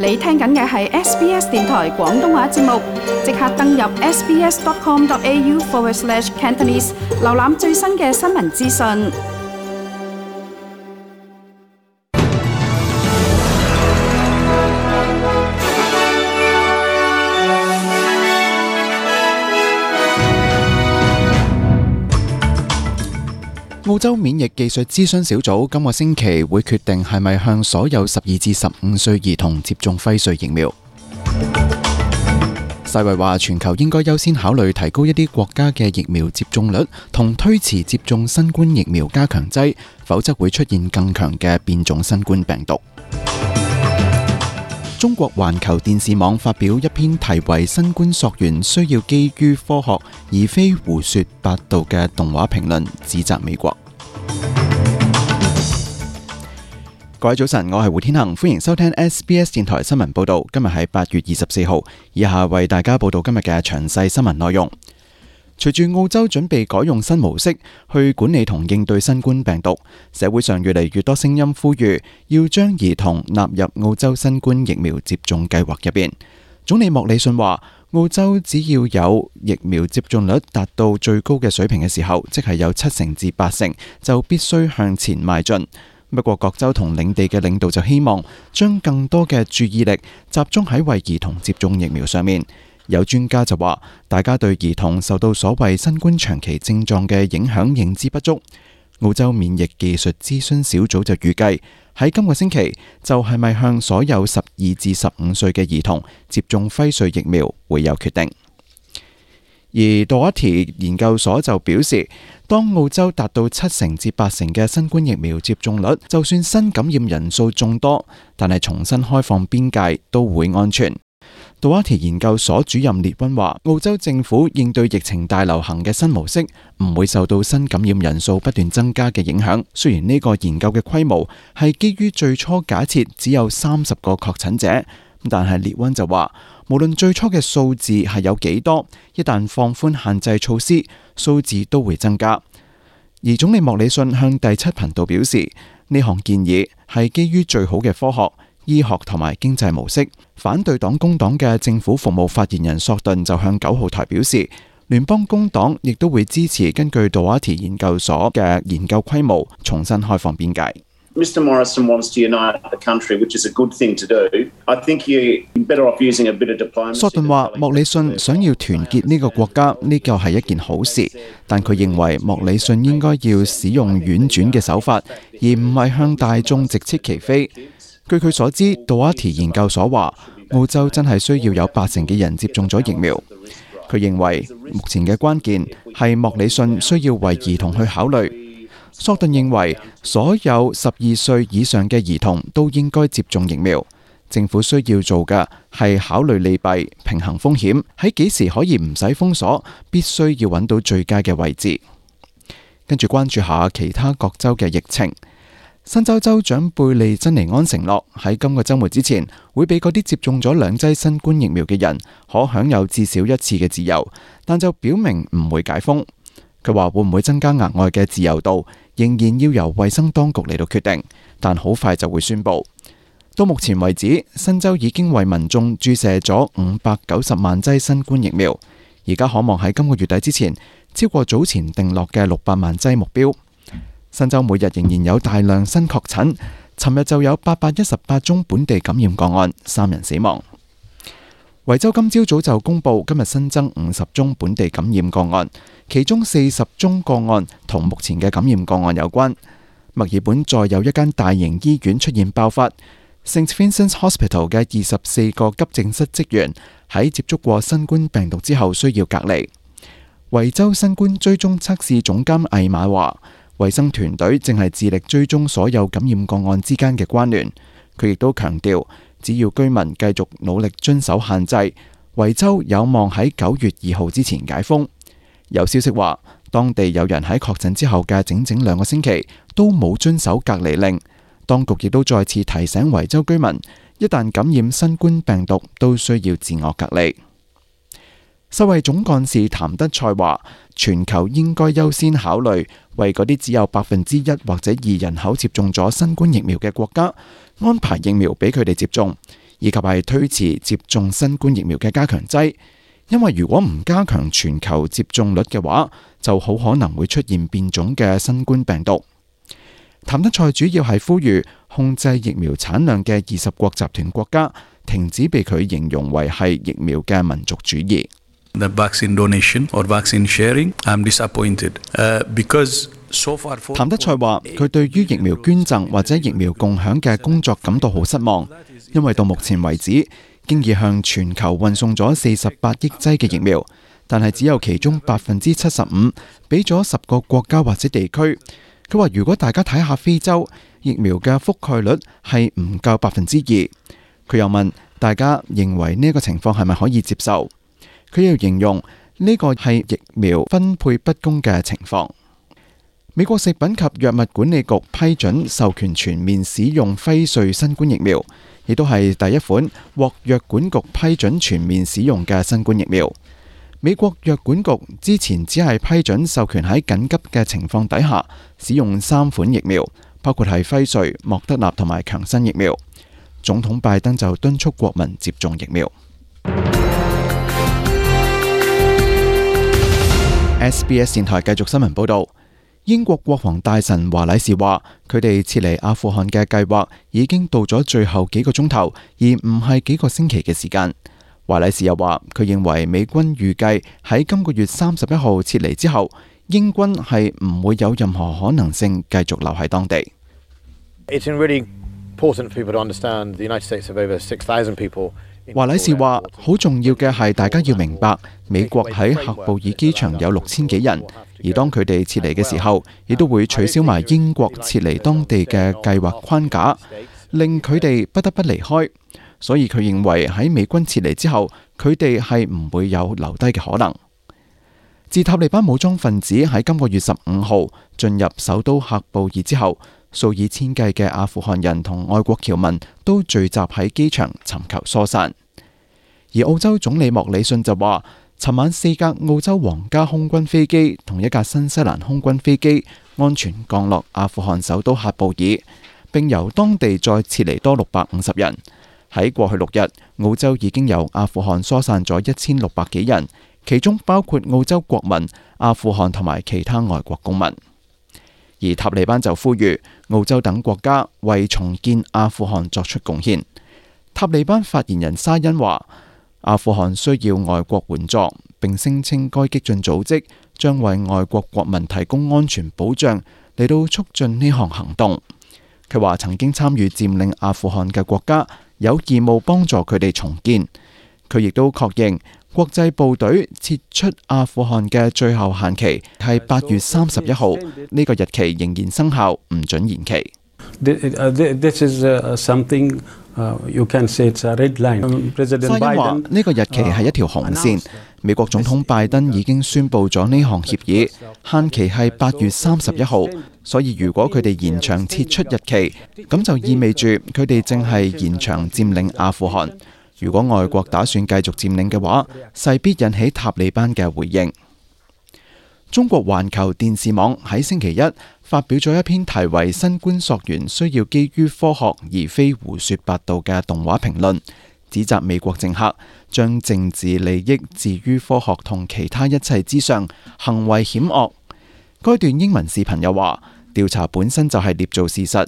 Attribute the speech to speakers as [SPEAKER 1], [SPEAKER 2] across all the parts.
[SPEAKER 1] 你聽緊嘅係 SBS 電台廣東話節目，即刻登入 sbs.com.au/Cantonese 瀏覽最新嘅新聞資訊。
[SPEAKER 2] 澳洲免疫技術諮詢小組今個星期會決定係咪向所有12至15歲兒童接種輝瑞疫苗。世衛話全球應該優先考慮提高一啲國家嘅疫苗接種率，同推遲接種新冠疫苗加強劑，否則會出現更強嘅變種新冠病毒。中國環球電視網發表一篇題為《新冠溯源需要基於科學而非胡說八道》嘅動畫評論，指責美國。各位早晨，我係胡天恒，歡迎收聽 SBS 電台新聞報道。今日係8月24號，以下為大家報道今日嘅詳細新聞內容。隨住澳洲準備改用新模式去管理同應對新冠病毒，社會上越嚟越多聲音呼籲要將兒童納入澳洲新冠疫苗接種計劃入邊。總理莫里遜話，澳洲只要有疫苗接種率達到最高嘅水平嘅時候，即係有70%至80%，就必須向前邁進。不過各州同領地嘅領導就希望將更多嘅注意力集中喺為兒童接種疫苗上面。有專家就話，大家對兒童受到所謂新冠長期症狀嘅影響認知不足。澳洲免疫技術諮詢小組就預計喺今個星期就係咪向所有12至15歲嘅兒童接種輝瑞疫苗會有決定。而 Doherty 研究所就表示，當澳洲達到70%至80%嘅新冠疫苗接種率，就算新感染人數眾多，但係重新開放邊界都會安全。Doherty 研究所主任列溫話，澳洲政府應對疫情大流行嘅新模式唔會受到新感染人數不斷增加嘅影響。雖然呢個研究嘅規模係基於最初假設只有30個確診者，但係列溫就話，無論最初嘅數字係有幾多，一旦放寬限制措施，數字都會增加。而總理莫里遜向第7頻道表示，呢項建議係基於最好嘅科學、醫學同埋經濟模式。反對黨工黨嘅政府服務發言人索頓就向9號台表示，聯邦工黨亦都會支持根據 Doherty 研究所嘅研究規模重新開放邊界。
[SPEAKER 3] Mr. Morrison wants to unite the country, which is a good thing to do. I think you're better off using a bit of diplomacy.
[SPEAKER 2] 索頓話，莫里遜想要團結呢個國家，呢個係一件好事，但佢認為莫里遜應該要使用婉轉嘅手法，而唔係向大眾直斥其非。據佢所知，Doherty 研究所話，澳洲真係需要有80%嘅人接種咗疫苗。佢認為目前嘅關鍵係莫里遜需要為兒童去考慮。索頓認為所有12歲以上嘅兒童都應該接種疫苗。政府需要做嘅係考慮利弊，平衡風險，喺幾時可以唔使封鎖，必須要揾到最佳嘅位置。跟住關注下其他各州嘅疫情。新州州長貝利珍尼安承諾喺今個週末之前會俾嗰啲接種咗2劑新冠疫苗嘅人可享有至少1次嘅自由，但就表明唔會解封。佢話會唔會增加額外嘅自由度，仍然要由衛生當局嚟到決定，但好快就會宣佈。到目前為止，新州已經為民眾注射咗590萬劑新冠疫苗，而家可望喺今個月底之前超過早前定落嘅600萬劑目標。新州每日仍然有大量新確診，尋日就有818宗本地感染個案，3人死亡。維州今朝早就公布今日新增50宗本地感染個案，其中40宗個案同目前嘅感染個案有關。墨爾本再有一間大型醫院出現爆發，St Vincent's Hospital 嘅24個急症室職員喺接觸過新冠病毒之後需要隔離。維州新冠追蹤測試總監艾瑪話，衛生團隊正係致力追蹤所有感染個案之間嘅關聯。佢亦都強調，只要居民繼續努力遵守限制，維州有望喺9月2號之前解封。有消息話，當地有人喺確診之後嘅整整2個星期都冇遵守隔離令。當局亦都再次提醒維州居民，一旦感染新冠病毒都需要自我隔離。世衛總幹事譚德塞話，全球應該優先考慮為嗰啲只有1%或者2人口接種咗新冠疫苗嘅國家安排疫苗俾佢哋接種，而以及係推遲接種新冠疫苗嘅加強劑。因為如果唔加強全球接種率嘅話，就好可能會出現變種嘅新冠病毒。譚德塞主要係呼籲控制疫苗產量嘅20國集團國家停止被佢形容為係疫苗嘅民族主義。
[SPEAKER 4] The vaccine donation or vaccine sharing, I'm disappointed because so far.
[SPEAKER 2] 譚德塞話：佢對於疫苗捐贈或者疫苗共享嘅工作感到好失望，因為到目前為止，經已向全球運送咗48億劑嘅疫苗，但係只有其中75%俾咗10個國家或者地區。佢話：如果大家睇下非洲，疫苗嘅覆蓋率係唔夠2%。佢又問大家認為呢個情況係咪可以接受？佢又形容呢個係疫苗分配不公嘅情況。美國食品及藥物管理局批准授權全面使用輝瑞新冠疫苗，亦都係第一款獲藥管局批准全面使用嘅新冠疫苗。美國藥管局之前只係批准授權喺緊急嘅情況底下使用3款疫苗，包括係輝瑞、莫德納同埋強生疫苗。總統拜登就敦促國民接種疫苗。SBS 電台繼續新聞報導。英國國防大臣華禮士話，佢哋撤離阿富汗嘅計劃已經到咗最後幾個鐘頭，而唔係幾個星期嘅時間。華禮士又話，佢認為美軍預計喺今個月31號撤離之後，英軍係唔會有任何可能性繼續留喺當地。華禮士話，好重要嘅係大家要明白，美國喺喀布爾機場有6000幾人，而當佢哋撤離嘅時候，亦都會取消埋英國撤離當地嘅計劃框架，令佢哋不得不離開。所以佢認為喺美軍撤離之後，佢哋係唔會有留低嘅可能。自塔利班武裝分子喺今個月15號進入首都喀布爾之後，數以千計嘅阿富汗人同外國僑民都聚集喺機場尋求疏散。而澳洲總理莫里遜就話，尋晚4架澳洲皇家空軍飛機同1架新西蘭空軍飛機安全降落阿富汗首都喀布爾，並由當地再撤離多650人。喺過去6日，澳洲已經由阿富汗疏散咗1600幾人，其中包括澳洲國民、阿富汗同埋其他外國公民。而塔利班就呼籲澳洲等國家為重建阿富汗作出貢獻。塔利班發言人沙欣話，阿富汗需要外國援助，並聲稱該激進組織將為外國國民提供安全保障，嚟到促進呢項行動。佢話曾經參與佔領阿富汗嘅國家有義務幫助佢哋重建。佢亦都確認國際部隊撤出阿富汗嘅最後限期係8月31號，呢個日期仍然生效，唔准延期。沙欣話呢個日期係一條紅線，美國總統拜登已經宣布咗呢項協議，限期係8月31號，所以如果佢哋延長撤出日期，咁就意味住佢哋正係延長佔領阿富汗。如果外國打算繼續佔領嘅話，勢必引起塔利班嘅回應。中國環球電視網喺星期一發表咗一篇題為《新冠溯源需要基於科學而非胡說八道》嘅動畫評論，指責美國政客將政治利益置於科學同其他一切之上，行為險惡。該段英文視頻又話，調查本身就係捏造事實。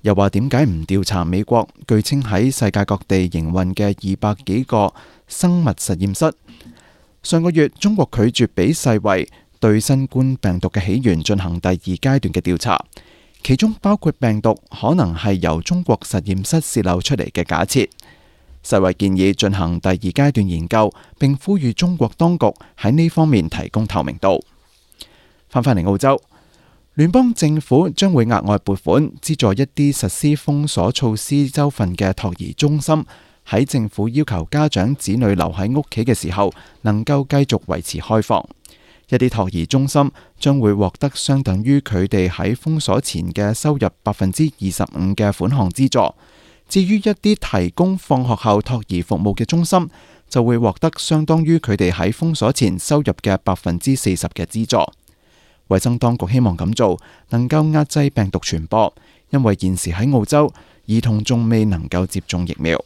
[SPEAKER 2] 又話點解唔調查美國據稱喺世界各地營運嘅200幾個生物實驗室？上個月中國拒絕俾世衛對新冠病毒嘅起源進行第2階段嘅調查，其中包括病毒可能係由中國實驗室洩漏出嚟嘅假設。世衛建議進行第2階段研究，並呼籲中國當局喺呢方面提供透明度。翻返嚟澳洲。聯邦政府將會額外撥款資助一啲實施封鎖措施州份嘅托兒中心，喺政府要求家長子女留喺屋企嘅時候，能夠繼續維持開放。一啲托兒中心將會獲得相等於佢哋喺封鎖前嘅收入25%嘅款項資助。至於一啲提供放學後托兒服務嘅中心，就會獲得相當於佢哋喺封鎖前收入嘅40%嘅資助。衛生當局希望咁做能夠壓制病毒傳播，因為現時喺澳洲，兒童仲未能夠接種疫苗。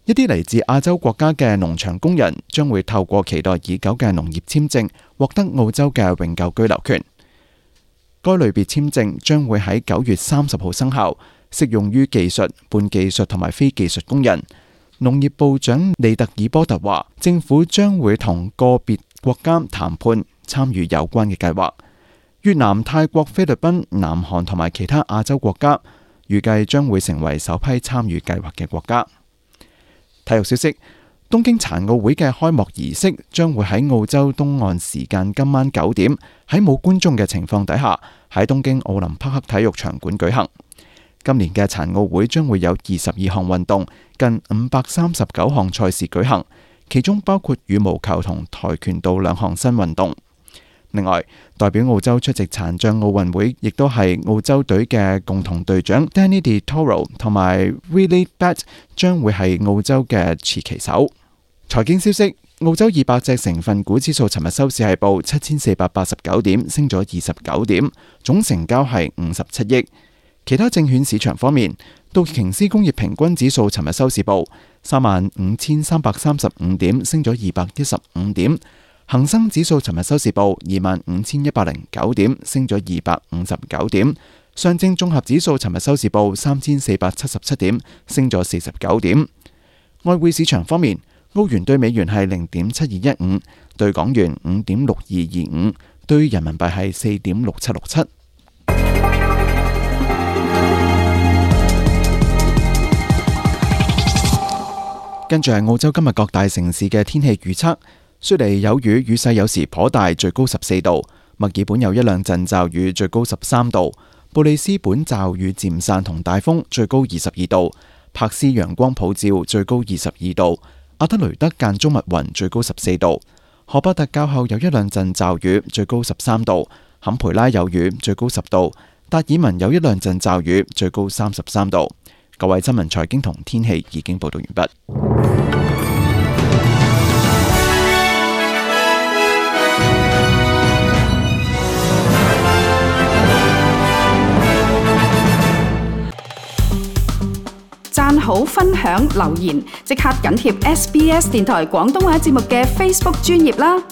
[SPEAKER 2] 一啲嚟自亞洲國家嘅農場工人將會透過期待已久嘅農業簽證獲得澳洲嘅永久居留權。該類別簽證將會喺9月30號生效，適用於技術、半技術同埋非技術工人。農業部長利特爾波特話，政府將會同個別國家談判，參與有關嘅計劃。越南、泰國、菲律賓、南韓同埋其他亞洲國家預計將會成為首批參與計劃嘅國家。體育消息：東京殘奧會嘅開幕儀式將會喺澳洲東岸時間今晚9點，喺冇觀眾嘅情況底下，喺東京奧林匹克體育場館舉行。今年嘅殘奧會將會有22項運動，近539項賽事舉行，其中包括羽毛球同跆拳道2項新運動。另外，代表澳洲出席殘障奧運會，亦都係澳洲隊嘅共同隊長 Danny Di Toro 同埋 Willie Bat 將會係澳洲嘅持旗手。財經消息：澳洲200隻成分股指數尋日收市係報7489點，升咗29點，總成交係57億。其他證券市場方面，道瓊斯工業平均指數尋日收市報35335點，升咗215點。恒生指數尋日收市報25109點，升咗259點。上證綜合指數尋日收市報3477點，升咗49點。外匯市場方面，澳元對美元係0.7215，對港元5.6225，對人民幣係4.6767。跟住係澳洲今日各大城市嘅天氣預測。雪梨有雨，雨勢有時頗大，最高14度；墨爾本有一兩陣驟雨，最高13度；布里斯本驟雨漸散同大風，最高22度；柏斯陽光普照，最高22度；阿德雷德間中密雲，最高14度；荷伯特較後有一兩陣驟雨，最高13度；坎培拉有雨，最高10度；達爾文有一兩陣驟雨，最高33度。各位新聞、財經同天氣已經報道完畢。
[SPEAKER 1] 讚好、分享、留言，即刻緊貼SBS 電台廣東話節目嘅 Facebook 專頁啦！